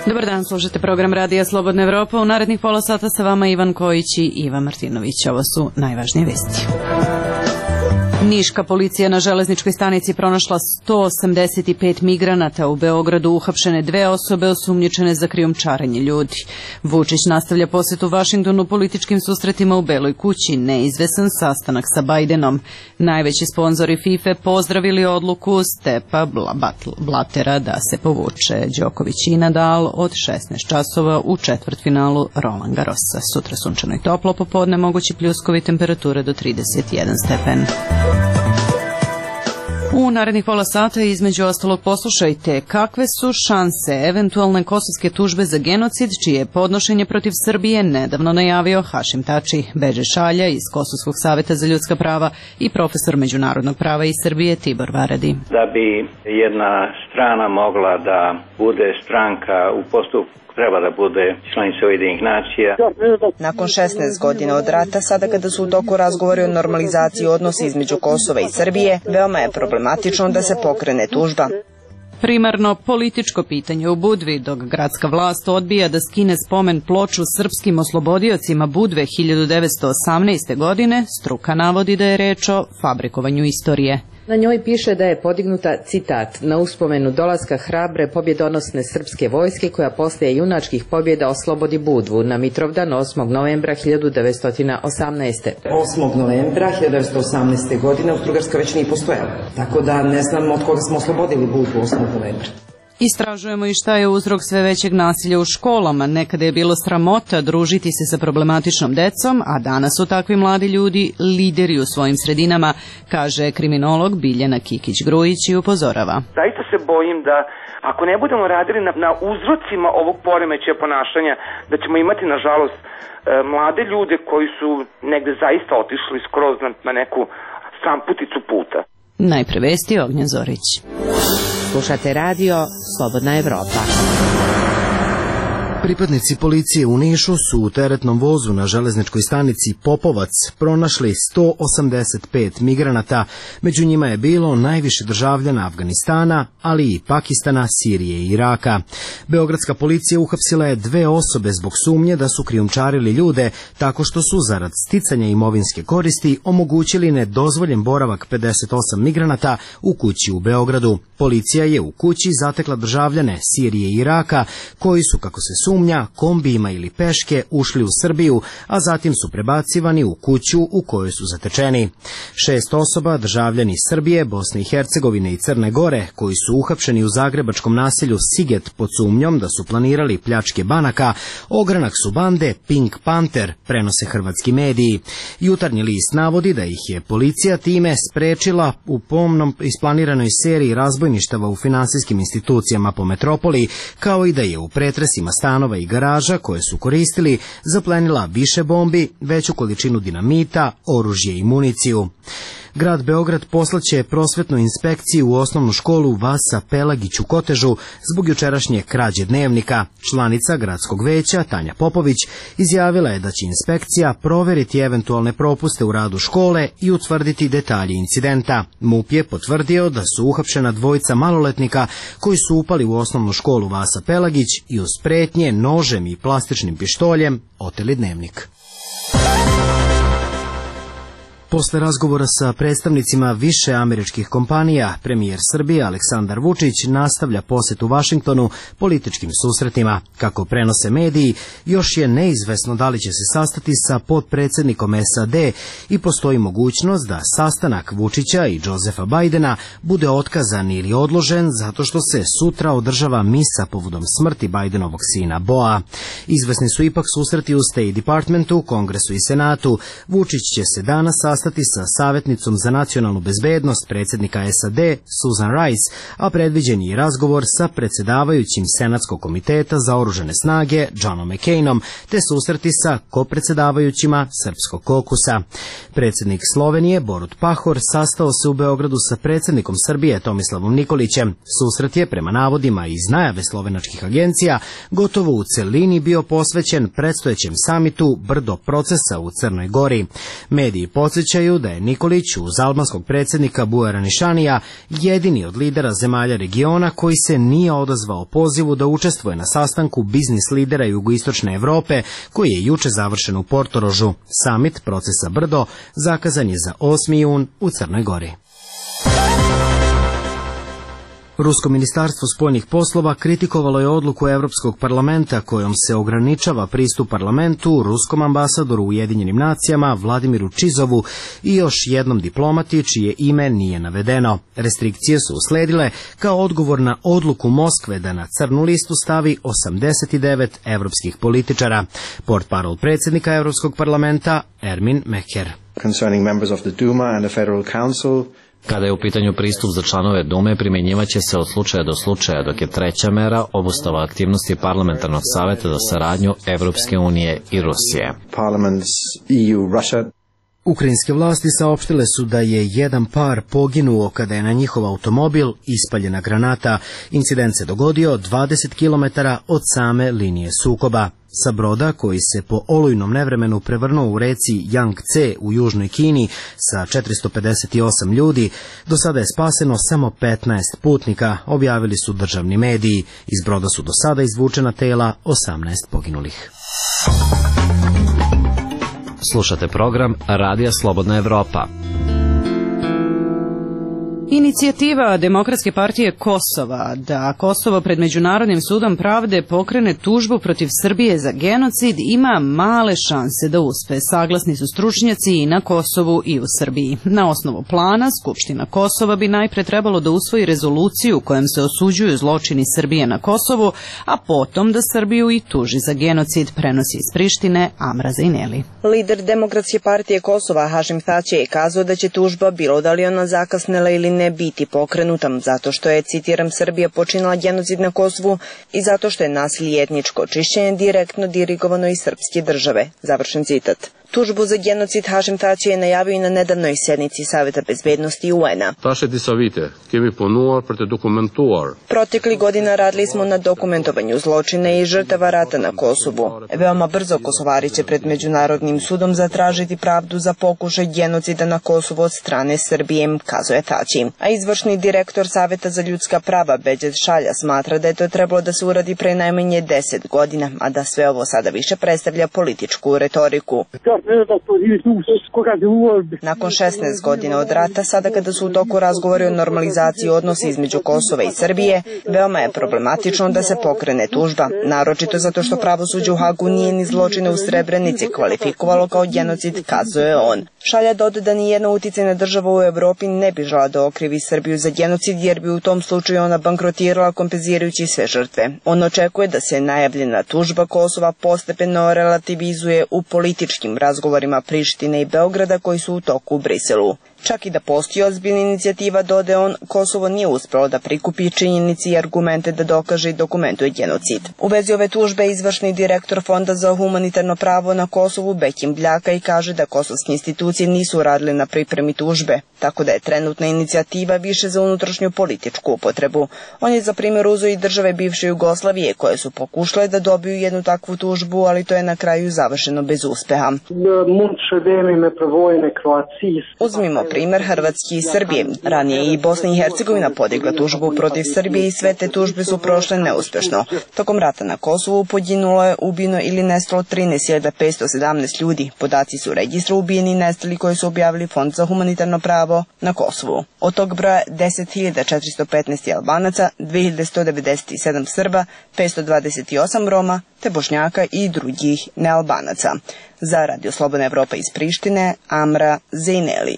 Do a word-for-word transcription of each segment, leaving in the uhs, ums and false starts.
Dobar dan, slušate program Radija Slobodna Evropa. U narednih pola sata sa vama Ivan Kojić i Ivan Martinović. Ovo su najvažnije vesti. Niška policija na železničkoj stanici pronašla sto osamdeset pet migranata. U Beogradu uhapšene dve osobe osumnjičene za krijumčarenje ljudi. Vučić nastavlja posetu Vašingtonu političkim susretima u Beloj kući. Neizvesan sastanak sa Bajdenom. Najveći sponzori FIFA pozdravili odluku Stepa Blatera da se povuče. Đoković i Nadal od šesnaest časova u četvrtfinalu Roland Garrosa. Sutra sunčano i toplo, popodne mogući pljuskovi, temperature do trideset jedan stepen. U narednih pola sata između ostalog poslušajte kakve su šanse eventualne kosovske tužbe za genocid, čije je podnošenje protiv Srbije nedavno najavio Hašim Tači, Beđe Šalja iz Kosovskog saveta za ljudska prava i profesor međunarodnog prava iz Srbije Tibor Varadi. Da bi jedna strana mogla da bude stranka u postupku, treba da bude članica Ujedinjenih nacija. Nakon šesnaest godina od rata, sada kada su u toku razgovori o normalizaciji odnosa između Kosova i Srbije, veoma je problematično da se pokrene tužba. Primarno političko pitanje u Budvi, dok gradska vlast odbija da skine spomen ploču srpskim oslobodiocima Budve hiljadu devetsto osamnaeste. godine, struka navodi da je reč o fabrikovanju istorije. Na njoj piše da je podignuta, citat, na uspomenu dolaska hrabre pobjedonosne srpske vojske koja poslije junačkih pobjeda oslobodi Budvu na Mitrovdan osmog novembra hiljadu devetsto osamnaeste. osmog novembra hiljadu devetsto osamnaeste. godine Austro-Ugarska već nije postojala, tako da ne znam od koga smo oslobodili Budvu osmog novembra. Istražujemo i šta je uzrok sve većeg nasilja u školama. Nekada je bilo sramota družiti se sa problematičnom decom, a danas su takvi mladi ljudi lideri u svojim sredinama, kaže kriminolog Biljana Kikić-Grujić i upozorava. Zaista se bojim da ako ne budemo radili na, na uzrocima ovog poremećaja ponašanja, da ćemo imati, nažalost, mlade ljude koji su negde zaista otišli skroz na, na neku stramputicu puta. Najpre vesti, Ognjen Zorić. Slušate radio Slobodna Evropa. Pripadnici policije u Nišu su u teretnom vozu na železničkoj stanici Popovac pronašli sto osamdeset pet migranata. Među njima je bilo najviše državljana Afganistana, ali i Pakistana, Sirije i Iraka. Beogradska policija uhapsila je dve osobe zbog sumnje da su krijumčarili ljude tako što su zarad sticanja imovinske koristi omogućili nedozvoljen boravak pedeset osam migranata u kući u Beogradu. Policija je u kući zatekla državljane Sirije i Iraka koji su, kako se sumnja, kombijima ili peške ušli u Srbiju, a zatim su prebacivani u kuću u kojoj su zatečeni. Šest osoba, državljani Srbije, Bosne i Hercegovine i Crne Gore, koji su uhapšeni u zagrebačkom naselju Siget pod sumnjom da su planirali pljačke banaka, ogranak su bande Pink Panther, prenose hrvatski mediji. Jutarnji list navodi da ih je policija time sprečila u pomnom isplaniranoj seriji razbojništava u finansijskim institucijama po metropoli, kao i da je u pretresima stanova i garaža koje su koristili zaplenila više bombi, veću količinu dinamita, oružje i municiju. Grad Beograd poslaće prosvetnu inspekciju u osnovnu školu Vasa Pelagić u Kotežu zbog jučerašnje krađe dnevnika. Članica gradskog veća Tanja Popović izjavila je da će inspekcija proveriti eventualne propuste u radu škole i utvrditi detalje incidenta. MUP je potvrdio da su uhapšena dvojica maloletnika koji su upali u osnovnu školu Vasa Pelagić i uz pretnje nožem i plastičnim pištoljem oteli dnevnik. Posle razgovora sa predstavnicima više američkih kompanija, premijer Srbije Aleksandar Vučić nastavlja posetu Vašingtonu političkim susretima. Kako prenose mediji, još je neizvesno da li će se sastati sa potpredsjednikom S A D i postoji mogućnost da sastanak Vučića i Josefa Bajdena bude otkazan ili odložen zato što se sutra održava misa povodom smrti Bajdenovog sina Boa. Izvesni su ipak susreti u State Departmentu, Kongresu i Senatu. Vučić će se danas sastati sa savjetnicom za nacionalnu bezbednost predsjednika S A D Susan Rice, a predviđen je i razgovor sa predsjedavajućim Senatskog komiteta za oružane snage Johnom McCainom, te susreti sa kopredsjedavajućima Srpskog kokusa. Predsjednik Slovenije Borut Pahor sastao se u Beogradu sa predsjednikom Srbije Tomislavom Nikolićem. Susret je, prema navodima iz najave slovenačkih agencija, gotovo u celini bio posvećen predstojećem samitu Brdo procesa u Crnoj Gori. Mediji podsjećaju podsjećaju da je Nikolić uz albanskog predsjednika Bujara Nišanija jedini od lidera zemalja regiona koji se nije odazvao pozivu da učestvuje na sastanku biznis lidera jugoistočne Evrope koji je juče završen u Portorožu. Samit procesa Brdo zakazan je za osmi jun u Crnoj Gori. Rusko ministarstvo spoljnih poslova kritikovalo je odluku Evropskog parlamenta kojom se ograničava pristup parlamentu ruskom ambasadoru u Ujedinjenim nacijama Vladimiru Čizovu i još jednom diplomati čije ime nije navedeno. Restrikcije su usledile kao odgovor na odluku Moskve da na crnu listu stavi osamdeset devet evropskih političara. Portparol predsjednika Evropskog parlamenta Ermin Meher. Concerning members of the Duma and the Federal Council, kada je u pitanju pristup za članove Dume, primjenjivaće se od slučaja do slučaja, dok je treća mera obustava aktivnosti Parlamentarnog savjeta za saradnju Evropske unije i Rusije. Ukrajinske vlasti saopštile su da je jedan par poginuo kada je na njihov automobil ispaljena granata. Incident se dogodio dvadeset kilometara od same linije sukoba. Sa broda koji se po olujnom nevremenu prevrnuo u reci Yangtze u južnoj Kini sa četiristo pedeset osam ljudi, do sada je spaseno samo petnaest putnika, objavili su državni mediji. Iz broda su do sada izvučena tela osamnaest poginulih. Slušate program Radija Slobodna Evropa. Inicijativa Demokratske partije Kosova da Kosovo pred Međunarodnim sudom pravde pokrene tužbu protiv Srbije za genocid ima male šanse da uspe, saglasni su stručnjaci i na Kosovu i u Srbiji. Na osnovu plana, Skupština Kosova bi najpre trebalo da usvoji rezoluciju kojom se osuđuju zločini Srbije na Kosovu, a potom da Srbiju i tuži za genocid, prenosi iz Prištine Amra Zejneli. Lider Demokratske partije Kosova Hašim Tači je kazao da će tužba, bilo da li ona zakasnela ili ne, biti pokrenuta zato što je, citiram, Srbija počinila genocid na Kosovu i zato što je nasilje i etničko čišćenje direktno dirigovano iz srpske države. Završen citat. Tužbu za genocid Hašim Tači je najavio i na nedavnoj sednici Saveta bezbednosti U N-a. Protekli godina radili smo na dokumentovanju zločina i žrtava rata na Kosovu. Veoma brzo Kosovari će pred Međunarodnim sudom zatražiti pravdu za pokušaj genocida na Kosovu od strane Srbije, kazuje Tači. A izvršni direktor Saveta za ljudska prava Beđet Šalja smatra da je to trebalo da se uradi pre najmanje deset godina, a da sve ovo sada više predstavlja političku retoriku. Nakon šesnaest godina od rata, sada kada su u toku razgovori o normalizaciji odnosa između Kosova i Srbije, veoma je problematično da se pokrene tužba, naročito zato što pravosuđe u Hagu nije ni zločine u Srebrenici kvalifikovalo kao genocid, kazuje on. Šalja doda da nijedna uticajna država u Evropi ne bi žela da okrivi Srbiju za genocid, jer bi u tom slučaju ona bankrotirala kompenzirajući sve žrtve. On očekuje da se najavljena tužba Kosova postepeno relativizuje u političkim razgovorima Prištine i Beograda koji su u toku u Briselu. Čak i da postoji ozbiljna inicijativa, dode on, Kosovo nije uspelo da prikupi činjenici i argumente da dokaže i dokumentuje genocid. U vezi ove tužbe izvršni direktor Fonda za humanitarno pravo na Kosovu Bekim Bljaka i kaže da kosovske institucije nisu radile na pripremi tužbe, tako da je trenutna inicijativa više za unutrašnju političku upotrebu. On je za primjer uzeo i države bivše Jugoslavije koje su pokušale da dobiju jednu takvu tužbu, ali to je na kraju završeno bez uspeha. Uzmimo primer Hrvatske i Srbije. Ranije i Bosna i Hercegovina podigla tužbu protiv Srbije i sve te tužbe su prošle neuspešno. Tokom rata na Kosovu poginulo je, ubijeno ili nestalo trinaest hiljada petsto sedamnaest ljudi. Podaci su registra ubijeni i nestali koji su objavili Fond za humanitarno pravo na Kosovu. Od tog broja deset hiljada četiristo petnaest Albanaca, dve hiljade sto devedeset sedam Srba, petsto dvadeset osam Roma, te Bošnjaka i drugih nealbanaca. Za Radio Slobodna Evropa iz Prištine, Amra Zejneli.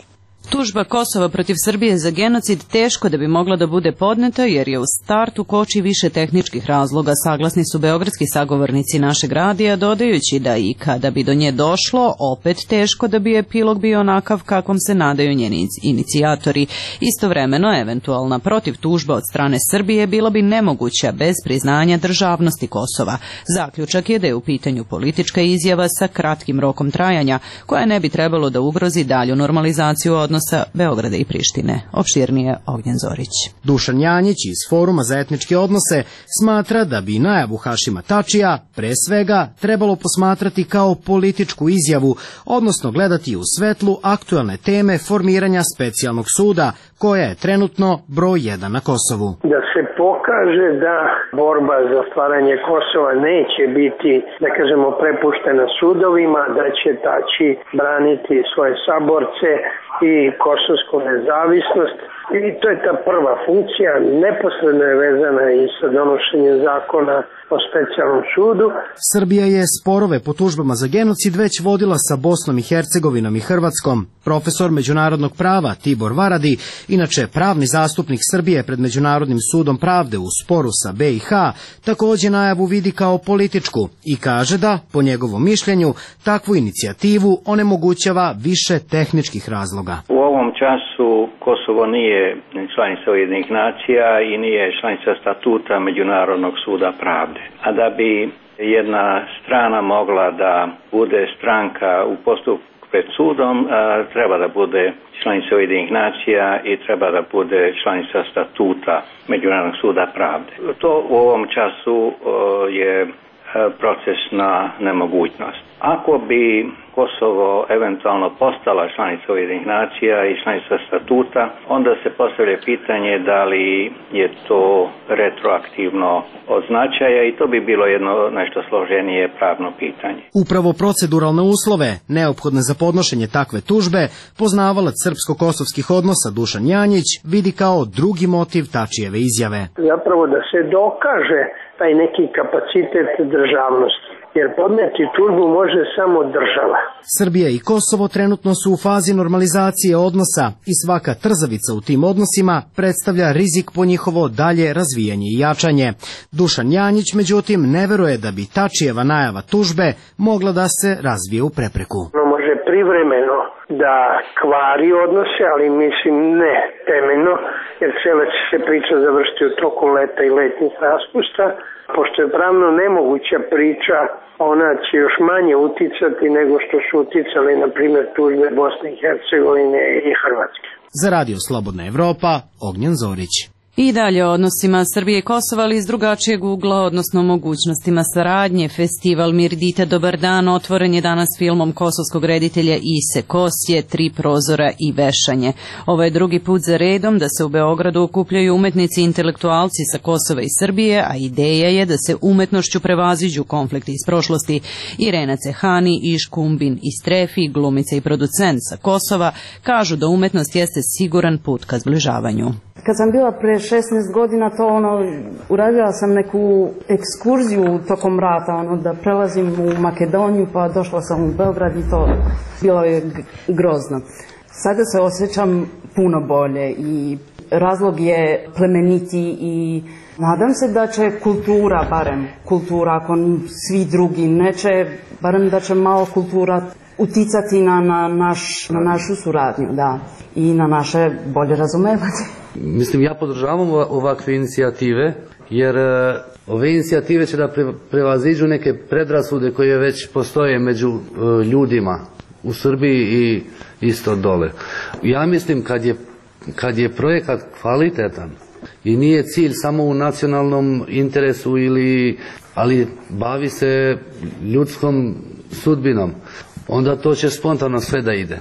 Tužba Kosova protiv Srbije za genocid teško da bi mogla da bude podneta jer je u startu koči više tehničkih razloga, saglasni su beogradski sagovornici našeg radija, dodajući da i kada bi do nje došlo, opet teško da bi epilog bio onakav kakvom se nadaju njeni inicijatori. Istovremeno, eventualna protiv tužba od strane Srbije bila bi nemoguća bez priznanja državnosti Kosova. Zaključak je da je u pitanju politička izjava sa kratkim rokom trajanja, koja ne bi trebalo da ugrozi dalju normalizaciju odnosa odnosa Beograda i Prištine. Opširnije Ognjen Zorić. Dušan Janjić iz Foruma za etničke odnose smatra da bi najavu Hašima Tačija pre svega trebalo posmatrati kao političku izjavu, odnosno gledati u svetlu aktuelne teme formiranja specijalnog suda, koja je trenutno broj jedan na Kosovu. Da se pokaže da borba za stvaranje Kosova neće biti, da kažemo, prepuštena sudovima, da će Tači braniti svoje saborce i kosovsku nezavisnost. I to je ta prva funkcija, neposredno je vezana i sa donošenjem zakona o specijalnom sudu. Srbija je sporove po tužbama za genocid već vodila sa Bosnom i Hercegovinom i Hrvatskom. Profesor međunarodnog prava Tibor Varadi, inače pravni zastupnik Srbije pred Međunarodnim sudom pravde u sporu sa B i H, takođe najavu vidi kao političku i kaže da, po njegovom mišljenju, takvu inicijativu onemogućava više tehničkih razloga. U ovom času Kosovo nije članica Ujedinjenih nacija i nije članica statuta Međunarodnog suda pravde. A da bi jedna strana mogla da bude stranka u postupku pred sudom, treba da bude članica Ujedinjenih nacija i treba da bude članica statuta Međunarodnog suda pravde. To u ovom času je procesna nemogućnost. Ako bi Kosovo eventualno postala članica Ujedinjenih nacija i članica statuta, onda se postavlja pitanje da li je to retroaktivno od značaja i to bi bilo jedno nešto složenije pravno pitanje. Upravo proceduralne uslove, neophodne za podnošenje takve tužbe, poznavalac srpsko-kosovskih odnosa Dušan Janjić vidi kao drugi motiv Tačijeve izjave. Zapravo da se dokaže taj neki kapacitet državnosti, jer podneti tužbu može samo država. Srbija i Kosovo trenutno su u fazi normalizacije odnosa i svaka trzavica u tim odnosima predstavlja rizik po njihovo dalje razvijanje i jačanje. Dušan Janjić, međutim, ne veruje da bi Tačijeva najava tužbe mogla da se razvije u prepreku. Ono može privremeno da kvari odnose, ali mislim ne temeljno, jer cijela će se priča završiti u toku leta i letnih raspusta. Pošto je pravno nemoguća priča, ona će još manje uticati nego što su uticali, na primjer, tužbe Bosne i Hercegovine i Hrvatske. Za Radio Slobodna Evropa, Ognjen Zorić. I dalje o odnosima Srbije i Kosova, ali iz drugačijeg ugla, odnosno mogućnostima saradnje. Festival Mirdita Dobar dan otvoren je danas filmom kosovskog reditelja Ise Kosje, Tri prozora i vešanje. Ovo je drugi put za redom da se u Beogradu okupljaju umetnici i intelektualci sa Kosova i Srbije, a ideja je da se umetnošću prevaziđu konflikti iz prošlosti. Irena Cehani, Iš Kumbin i Strefi, glumica i producent sa Kosova, kažu da umetnost jeste siguran put ka zbližavanju. Kad sam bila pre šesnaest godina, to ono, uradila sam neku ekskurziju tokom rata, ono, da prelazim u Makedoniju, pa došla sam u Beograd i to bilo je grozno. Sada se osjećam puno bolje i razlog je plemeniti i nadam se da će kultura, barem kultura, ako svi drugi neće, barem da će malo kultura uticati na, na, naš, na našu suradnju, da, i na naše bolje razumevanje. Mislim, ja podržavam ovakve inicijative, jer ove inicijative će da prevaziđu neke predrasude koje već postoje među ljudima u Srbiji i isto dole. Ja mislim, kad je, kad je projekat kvalitetan i nije cilj samo u nacionalnom interesu, ili, ali bavi se ljudskom sudbinom, onda to će spontano sve da ide.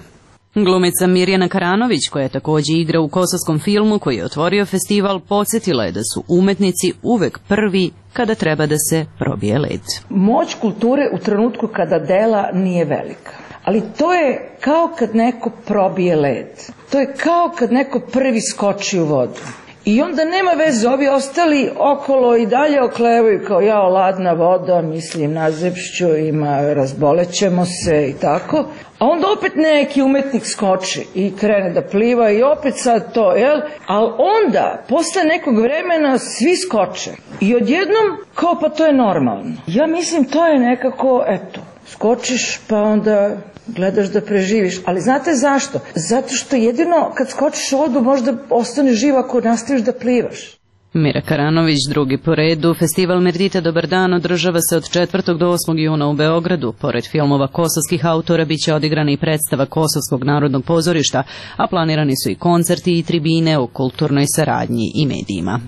Glumica Mirjana Karanović, koja takođe igra u kosovskom filmu koji je otvorio festival, podsjetila je da su umetnici uvek prvi kada treba da se probije led. Moć kulture u trenutku kada dela nije velika. Ali to je kao kad neko probije led. To je kao kad neko prvi skoči u vodu. I onda nema veze, ovi ostali okolo i dalje oklevaju kao ja, ladna voda, mislim, nazepšću, ima, razbolećemo se i tako. A onda opet neki umetnik skoči i krene da pliva i opet sad to, jel? Ali onda, posle nekog vremena, svi skoče. I odjednom, kao pa to je normalno. Ja mislim, to je nekako, eto, skočiš pa onda gledaš da preživiš. Ali znate zašto? Zato što jedino kad skočiš u vodu možda ostane živ ako nastaviš da plivaš. Mira Karanović, drugi po redu. Festival Merdita Dobar dan održava se od četvrtog do osmog juna u Beogradu. Pored filmova kosovskih autora biće odigrana i predstava Kosovskog narodnog pozorišta, a planirani su i koncerti i tribine o kulturnoj saradnji i medijima.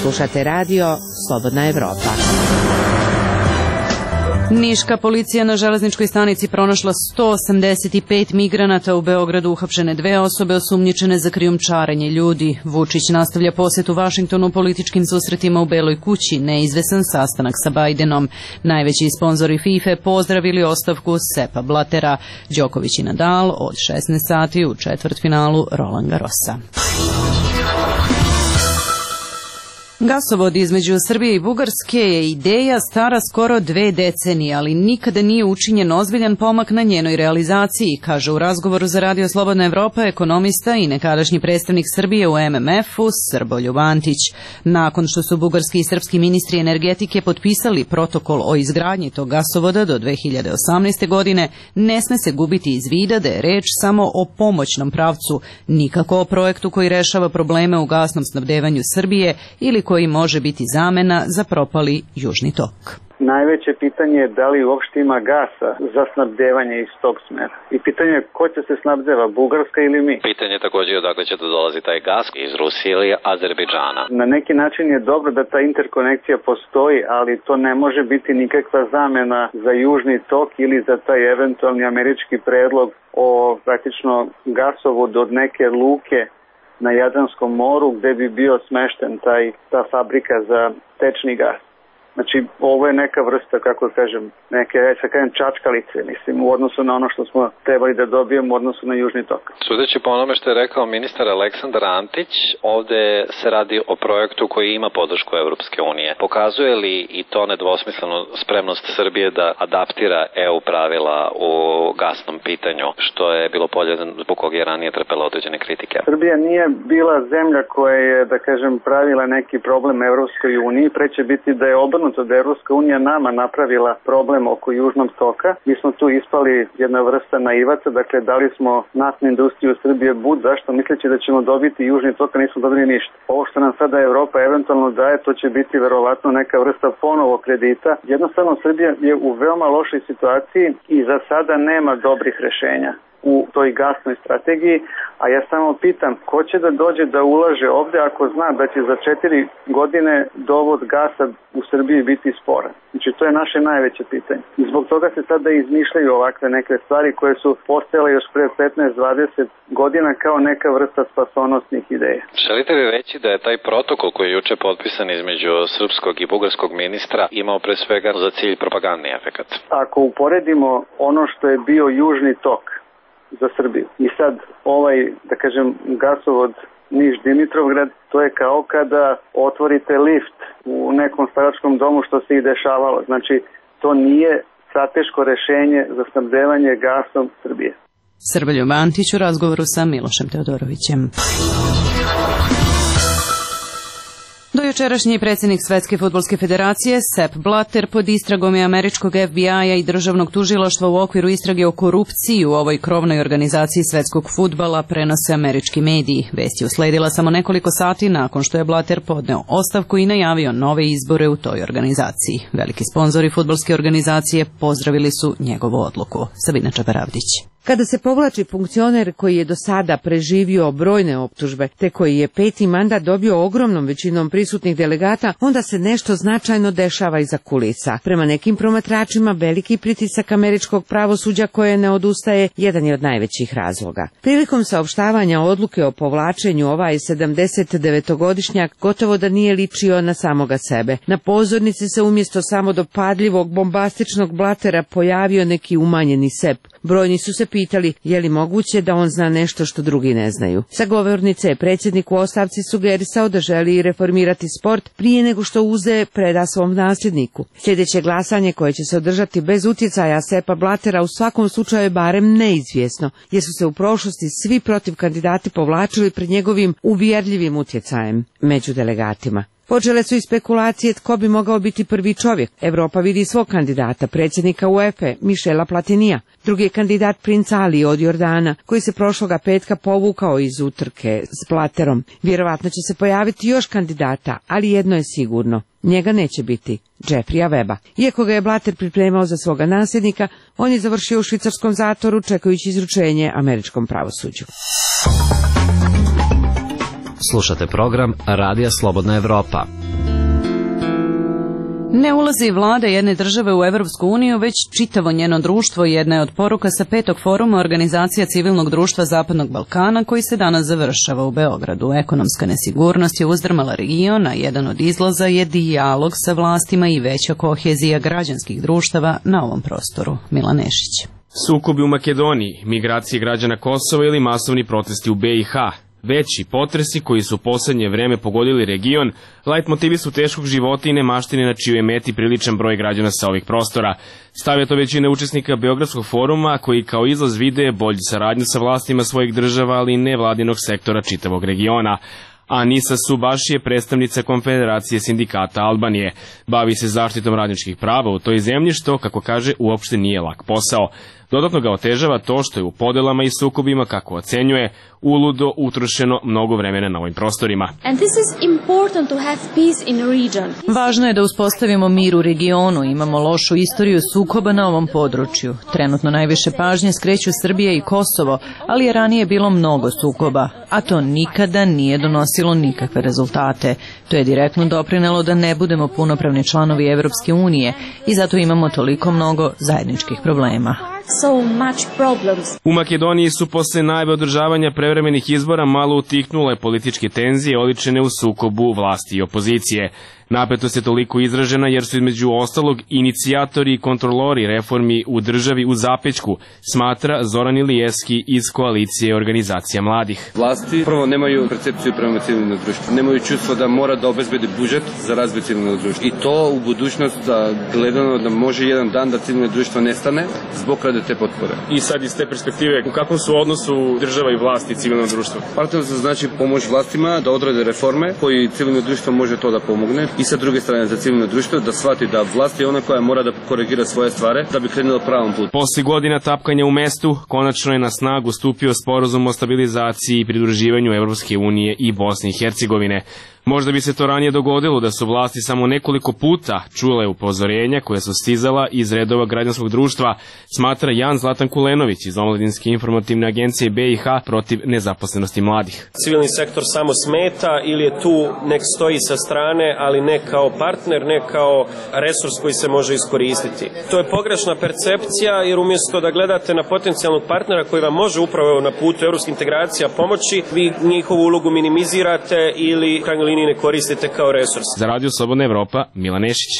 Slušate radio Slobodna Evropa. Niška policija na železničkoj stanici pronašla sto osamdeset pet migranata, u Beogradu uhapšene dve osobe osumnjičene za krijumčarenje ljudi. Vučić nastavlja posetu Vašingtonu političkim susretima u Beloj kući, neizvesan sastanak sa Bajdenom. Najveći sponzori FIFA pozdravili ostavku Sepa Blatera. Đoković i Nadal od šesnaest sati u četvrtfinalu Roland Garrosa. Gasovod između Srbije i Bugarske je ideja stara skoro dve decenije, ali nikada nije učinjen ozbiljan pomak na njenoj realizaciji, kaže u razgovoru za Radio Slobodna Evropa ekonomista i nekadašnji predstavnik Srbije u M M F-u Srboljub Antić. Nakon što su bugarski i srpski ministri energetike potpisali protokol o izgradnji tog gasovoda do dve hiljade osamnaeste. godine, ne sme se gubiti iz vida da je reč samo o pomoćnom pravcu, nikako o projektu koji rešava probleme u gasnom snabdevanju Srbije ili koji može biti zamena za propali Južni tok. Najveće pitanje je da li uopšte ima gasa za snabdevanje iz tog smera. I pitanje je ko će se snabdeva, Bugarska ili mi? Pitanje je također odakle će da dolazi taj gas, iz Rusije ili Azerbejdžana. Na neki način je dobro da ta interkonekcija postoji, ali to ne može biti nikakva zamena za Južni tok ili za taj eventualni američki predlog o praktično gasovodu od neke luke na Jadranskom moru gde bi bio smešten taj, ta fabrika za tečni gas. Znači, ovo je neka vrsta, kako kažem, neke, sa kažem, čačkalice, mislim, u odnosu na ono što smo trebali da dobijemo u odnosu na Južni tok. Sudeći po onome što je rekao ministar Aleksandar Antić, ovde se radi o projektu koji ima podršku Evropske unije. Pokazuje li i to nedvosmislenu spremnost Srbije da adaptira E U pravila u gasnom pitanju, što je bilo polje zbog kog je ranije trpela određene kritike? Srbija nije bila zemlja koja je, da kažem, pravila neki problem Evropskoj uniji, pre će biti da je obrnuto da je Evropska unija nama napravila problem oko Južnog toka. Mi smo tu ispali jedna vrsta naivaca, dakle dali smo naftnu industriju Srbije bud, zašto misleći da ćemo dobiti Južni tok, a nismo dobili ništa. Ovo što nam sada Evropa eventualno daje, to će biti verovatno neka vrsta ponovo kredita. Jednostavno Srbija je u veoma lošoj situaciji i za sada nema dobrih rešenja u toj gasnoj strategiji, a ja samo pitam ko će da dođe da ulaže ovde ako zna da će za četiri godine dovod gasa u Srbiji biti sporan. Znači to je naše najveće pitanje. I zbog toga se sada izmišljaju ovakve neke stvari koje su postojale još pre petnaest dvadeset godina kao neka vrsta spasonosnih ideja. Želite li reći da je taj protokol koji je juče potpisan između srpskog i bugarskog ministra imao pre svega za cilj propagandni efekat? Ako uporedimo ono što je bio Južni tok za Srbiju i sad ovaj, da kažem, gasovod Niš-Dimitrovgrad, to je kao kada otvorite lift u nekom staračkom domu, što se i dešavalo. Znači, to nije strateško rešenje za snabdevanje gasom Srbije. Srboljub Antić u razgovoru sa Milošem Teodorovićem. Do jučerašnji predsjednik Svetske fudbalske federacije Sepp Blatter pod istragom je američkog F B I-a i državnog tužilaštva u okviru istrage o korupciji u ovoj krovnoj organizaciji svetskog fudbala, prenose američki mediji. Vest je usledila samo nekoliko sati nakon što je Blatter podneo ostavku i najavio nove izbore u toj organizaciji. Veliki sponzori fudbalske organizacije pozdravili su njegovu odluku. Sabina Čabaravdić. Kada se povlači funkcioner koji je do sada preživio brojne optužbe, te koji je peti mandat dobio ogromnom većinom prisutnih delegata, onda se nešto značajno dešava iza kulisa. Prema nekim promatračima, veliki pritisak američkog pravosuđa koje ne odustaje jedan je od najvećih razloga. Prilikom saopštavanja odluke o povlačenju, ovaj sedamdesetdevetogodišnjak gotovo da nije ličio na samoga sebe. Na pozornici se umjesto samo dopadljivog bombastičnog Blattera pojavio neki umanjeni Sepp. Brojni su se pitali je li moguće da on zna nešto što drugi ne znaju. Sa govornice je predsjednik u ostavci sugerisao da želi reformirati sport prije nego što uze preda svom nasljedniku. Sljedeće glasanje koje će se održati bez utjecaja Seppa Blattera u svakom slučaju je barem neizvjesno, jer su se u prošlosti svi protiv kandidati povlačili pred njegovim uvjerljivim utjecajem među delegatima. Počele su i spekulacije tko bi mogao biti prvi čovjek. Evropa vidi svog kandidata, predsjednika UEFA, Mišela Platinija. Drugi je kandidat princ Ali od Jordana, koji se prošloga petka povukao iz utrke s Blaterom. Vjerovatno će se pojaviti još kandidata, ali jedno je sigurno. Njega neće biti, Jeffrija Weba. Iako ga je Blatter pripremao za svoga nasljednika, on je završio u švicarskom zatvoru čekajući izručenje američkom pravosuđu. Slušate program Radija Slobodna Evropa. Ne ulazi vlada jedne države u Evropsku uniju, već čitavo njeno društvo. Jedna je od poruka sa petog foruma Organizacija civilnog društva Zapadnog Balkana, koji se danas završava u Beogradu. Ekonomska nesigurnost je uzdrmala region, a jedan od izlaza je dijalog sa vlastima i veća kohezija građanskih društava na ovom prostoru. Milan Nešić. Sukobi u Makedoniji, migracije građana Kosova ili masovni protesti u B i H. Veći potresi koji su u poslednje vreme pogodili region, lajt motivi su teškog života i nemaštine na čijoj meti priličan broj građana sa ovih prostora. Stavlja to većina učesnika Beogradskog foruma, koji kao izlaz vide bolju saradnju sa vlastima svojih država, ali i nevladinog sektora čitavog regiona. Anisa Subaši je predstavnica Konfederacije sindikata Albanije. Bavi se zaštitom radničkih prava u toj zemlji, što, kako kaže, uopšte nije lak posao. Dodatno ga otežava to što je u podelama i sukobima, kako ocenjuje, uludo utrošeno mnogo vremena na ovim prostorima. Važno je da uspostavimo mir u regionu, imamo lošu istoriju sukoba na ovom području. Trenutno najviše pažnje skreću Srbija i Kosovo, ali je ranije bilo mnogo sukoba, a to nikada nije donosilo nikakve rezultate. To je direktno doprinelo da ne budemo punopravni članovi Evropske unije i zato imamo toliko mnogo zajedničkih problema. So much problems. U Makedoniji su posle najave održavanja prevremenih izbora malo utihnule političke tenzije oličene u sukobu vlasti i opozicije. Napetost je toliko izražena jer su između ostalog inicijatori i kontrolori reformi u državi u zapećku, smatra Zoran Ilijevski iz koalicije organizacija mladih. Vlasti prvo nemaju percepciju prema civilnom društvu, nemaju čustvo da mora da obezbedi budžet za razvoj civilnog društva. I to u budućnost da gledano da može jedan dan da civilno društvo nestane zbog rade te potpore. I sad iz te perspektive, u kakvom su odnosu država i vlasti i civilno društvo? Partnerstvo znači pomoć vlastima da odrade reforme koji civilno društvo može to da pomogne. I sa druge strane za civilno društvo da shvati da vlast je ona koja mora da korigira svoje stvari da bi krenula pravom putu. Posle godina tapkanja u mestu, konačno je na snagu stupio sporazum o stabilizaciji i pridruživanju Evropske unije i Bosne i Hercegovine. Možda bi se to ranije dogodilo da su vlasti samo nekoliko puta čule upozorenja koje su stizala iz redova građanskog društva, smatra Jan Zlatan Kulenović iz Omladinske informativne agencije B i H protiv nezaposlenosti mladih. Civilni sektor samo smeta ili je tu nek stoji sa strane, ali ne kao partner, ne kao resurs koji se može iskoristiti. To je pogrešna percepcija jer umjesto da gledate na potencijalnog partnera koji vam može upravo na putu evropskih integracija pomoći, vi njihovu ulogu minimizirate ili krajnjoj liniji ne koristite kao resurs. Za Radio Slobodna Evropa, Milan Nešić.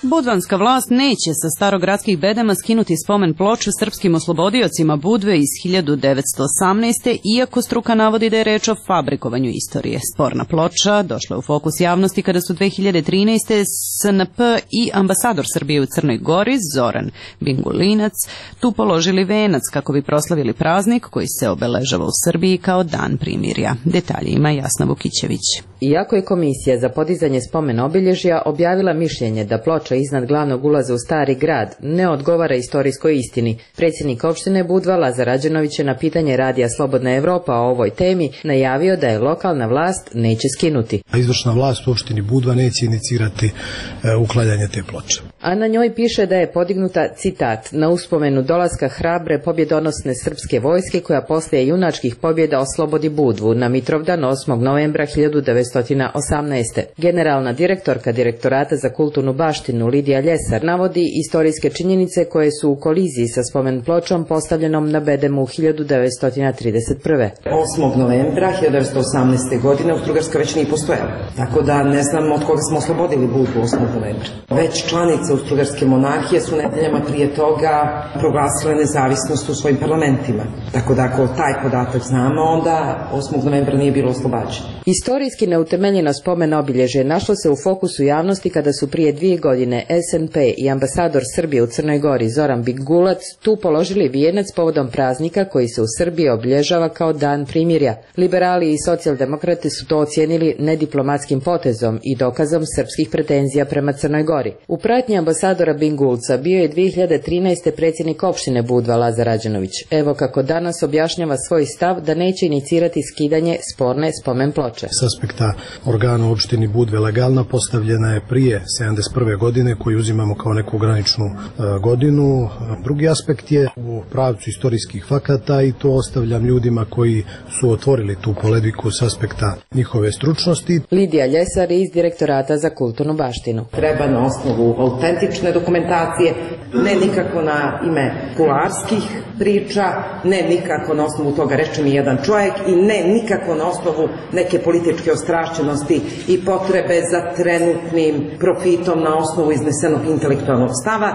Budvanska vlast neće sa starogradskih bedema skinuti spomen ploču srpskim oslobodiocima Budve iz hiljadu devetsto osamnaeste. iako struka navodi da je reč o fabrikovanju istorije. Sporna ploča došla je u fokus javnosti kada su dve hiljade trinaeste. S N P i ambasador Srbije u Crnoj Gori, Zoran Bingulinac, tu položili venac kako bi proslavili praznik koji se obeležava u Srbiji kao dan primirja. Detalje ima Jasna Vukićević. Iako je Komisija za podizanje spomen obilježja objavila mišljenje da ploča iznad glavnog ulaza u Stari grad ne odgovara istorijskoj istini, predsjednik opštine Budva Lazar Rađenović je na pitanje Radija Slobodna Evropa o ovoj temi najavio da je lokalna vlast neće skinuti. Izvršna vlast u opštini Budva neće inicirati e, uklanjanje te ploče. A na njoj piše da je podignuta, citat, na uspomenu dolaska hrabre pobjedonosne srpske vojske koja poslije junačkih pobjeda oslobodi Budvu na Mitrovdan osmog novembra hiljadu devetsto osamnaeste. Generalna direktorka Direktorata za kulturnu baštinu Lidija Ljesar navodi istorijske činjenice koje su u koliziji sa spomen pločom postavljenom na bedemu hiljadu devetsto trideset prve. osmog novembra hiljadu devetsto osamnaeste. godine Austro-Ugarska već nije postojala. Tako da ne znam od koga smo oslobodili Budvu osmog novembra. Već članica članice Austrougarske monarhije su nedeljama prije toga proglasile nezavisnost u svojim parlamentima. Tako da ako taj podatak znamo, onda osmog novembra nije bilo oslobađeno. Istorijski neutemeljeno spomen obilježje našlo se u fokusu javnosti kada su prije dvije godine S N P i ambasador Srbije u Crnoj Gori Zoran Bigulac tu položili vijenac povodom praznika koji se u Srbiji obilježava kao Dan primirja. Liberali i socijaldemokrati su to ocijenili nediplomatskim potezom i dokazom srpskih pretenzija prema Crnoj Gori. U pratnji ambasadora Bingulca bio je dvije hiljade trinaeste predsjednik opštine Budva Lazar Rađanović. Evo kako danas objašnjava svoj stav da neće inicirati skidanje sporne spomen ploče. S aspekta organa u opštini Budve legalna postavljena je prije sedamdeset prve godine koju uzimamo kao neku graničnu e, godinu. Drugi aspekt je u pravcu istorijskih fakata i to ostavljam ljudima koji su otvorili tu polemiku s aspekta njihove stručnosti. Lidija Ljesar iz Direktorata za kulturnu baštinu. Treba na osnovu autentične dokumentacije, ne nikako na ime kularskih priča, ne nikako na osnovu toga reče mi jedan čovjek i ne nikako na osnovu neke političke ostrašćenosti i potrebe za trenutnim profitom na osnovu iznesenog intelektualnog stava.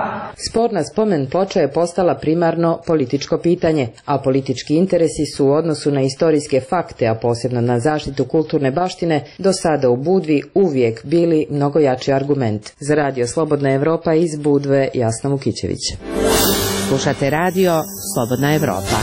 Sporna spomen ploča je postala primarno političko pitanje, a politički interesi su u odnosu na istorijske fakte, a posebno na zaštitu kulturne baštine, do sada u Budvi uvijek bili mnogo jači argument. Za Radio Slobodna Evropa iz Budve, Jasna Vukićević. Slušate radio Slobodna Evropa.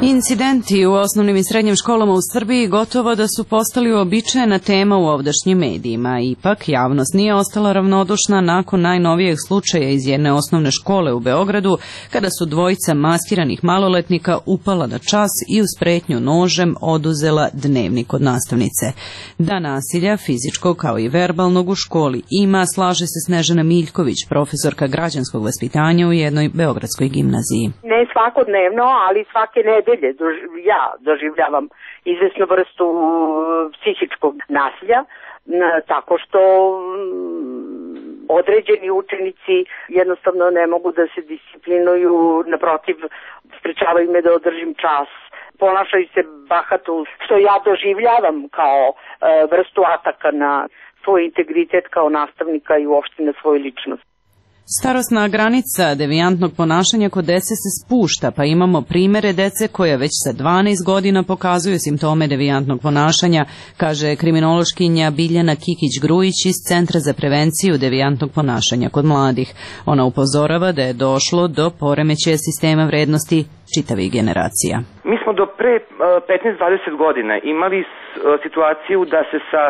Incidenti u osnovnim i srednjim školama u Srbiji gotovo da su postali uobičajena tema u ovdašnjim medijima. Ipak, javnost nije ostala ravnodušna nakon najnovijeg slučaja iz jedne osnovne škole u Beogradu, kada su dvojica maskiranih maloletnika upala na čas i uz pretnju nožem oduzela dnevnik od nastavnice. Da nasilja, fizičkog kao i verbalnog u školi ima, slaže se Snežana Miljković, profesorka građanskog vaspitanja u jednoj beogradskoj gimnaziji. Ne svakodnevno, ali svake nedelje ja doživljavam izvesnu vrstu psihičkog nasilja, tako što određeni učenici jednostavno ne mogu da se disciplinuju, naprotiv, sprečavaju me da održim čas, ponašaju se bahato, što ja doživljavam kao vrstu ataka na svoj integritet kao nastavnika i uopšte na svoju ličnost. Starosna granica devijantnog ponašanja kod dece se spušta, pa imamo primere dece koja već sa dvanaest godina pokazuju simptome devijantnog ponašanja, kaže kriminološkinja Biljana Kikić-Grujić iz Centra za prevenciju devijantnog ponašanja kod mladih. Ona upozorava da je došlo do poremećaja sistema vrednosti čitavih generacija. Mi smo do pre petnaest dvadeset godina imali situaciju da se sa,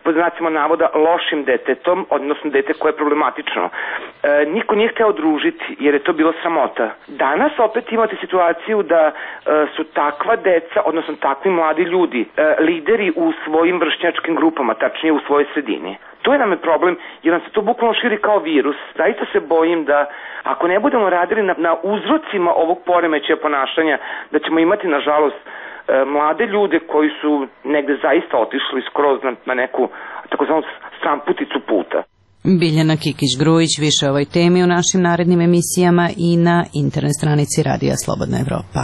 pod znacima navoda, lošim detetom, odnosno dete koje je problematično, niko nije hteo družiti jer je to bilo sramota. Danas opet imate situaciju da su takva deca, odnosno takvi mladi ljudi, lideri u svojim vršnjačkim grupama, tačnije u svojoj sredini. To je nam je problem, jer nam se to bukvalno širi kao virus. Zaista se bojim da ako ne budemo radili na, na uzrocima ovog poremećaja ponašanja, da ćemo imati, nažalost, mlade ljude koji su negde zaista otišli skroz na, na neku takozvanu stramputicu puta. Biljana Kikić-Grujić, više o ovoj temi u našim narednim emisijama i na internet stranici Radija Slobodna Evropa.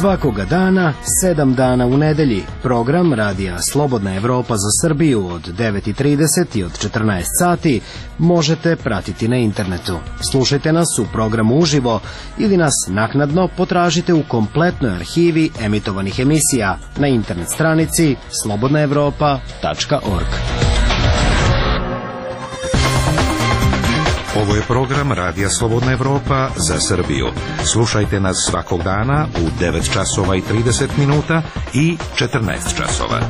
Svakoga dana, sedam dana u nedelji, program Radija Slobodna Evropa za Srbiju od devet i trideset i od četrnaest sati možete pratiti na internetu. Slušajte nas u programu uživo ili nas naknadno potražite u kompletnoj arhivi emitovanih emisija na internet stranici slobodna evropa tačka org. Ovo je program Radija Slobodna Evropa za Srbiju. Slušajte nas svakog dana u devet časova i trideset minuta i četrnaest časova.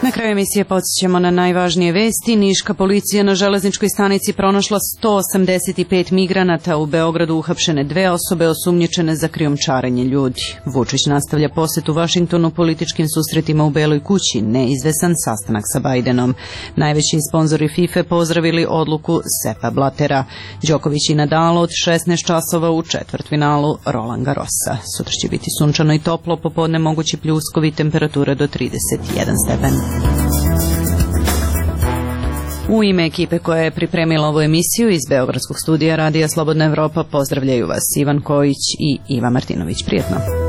Na kraju emisije podsjećamo na najvažnije vesti. Niška policija na železničkoj stanici pronašla sto osamdeset pet migranata. U Beogradu uhapšene dve osobe osumnjičene za krijumčarenje ljudi. Vučić nastavlja posjet u Vašingtonu političkim susretima u Beloj kući. Neizvesan sastanak sa Bajdenom. Najveći sponzori FIFA pozdravili odluku Sepa Blatera. Đoković i Nadal od šesnaest časova u četvrtfinalu Roland Garrosa. Sutra će biti sunčano i toplo, popodne mogući pljuskovi, temperatura do trideset jedan stepen. U ime ekipe koja je pripremila ovu emisiju iz Beogradskog studija Radija Slobodna Evropa pozdravljaju vas Ivan Kojić i Iva Martinović. Prijetno.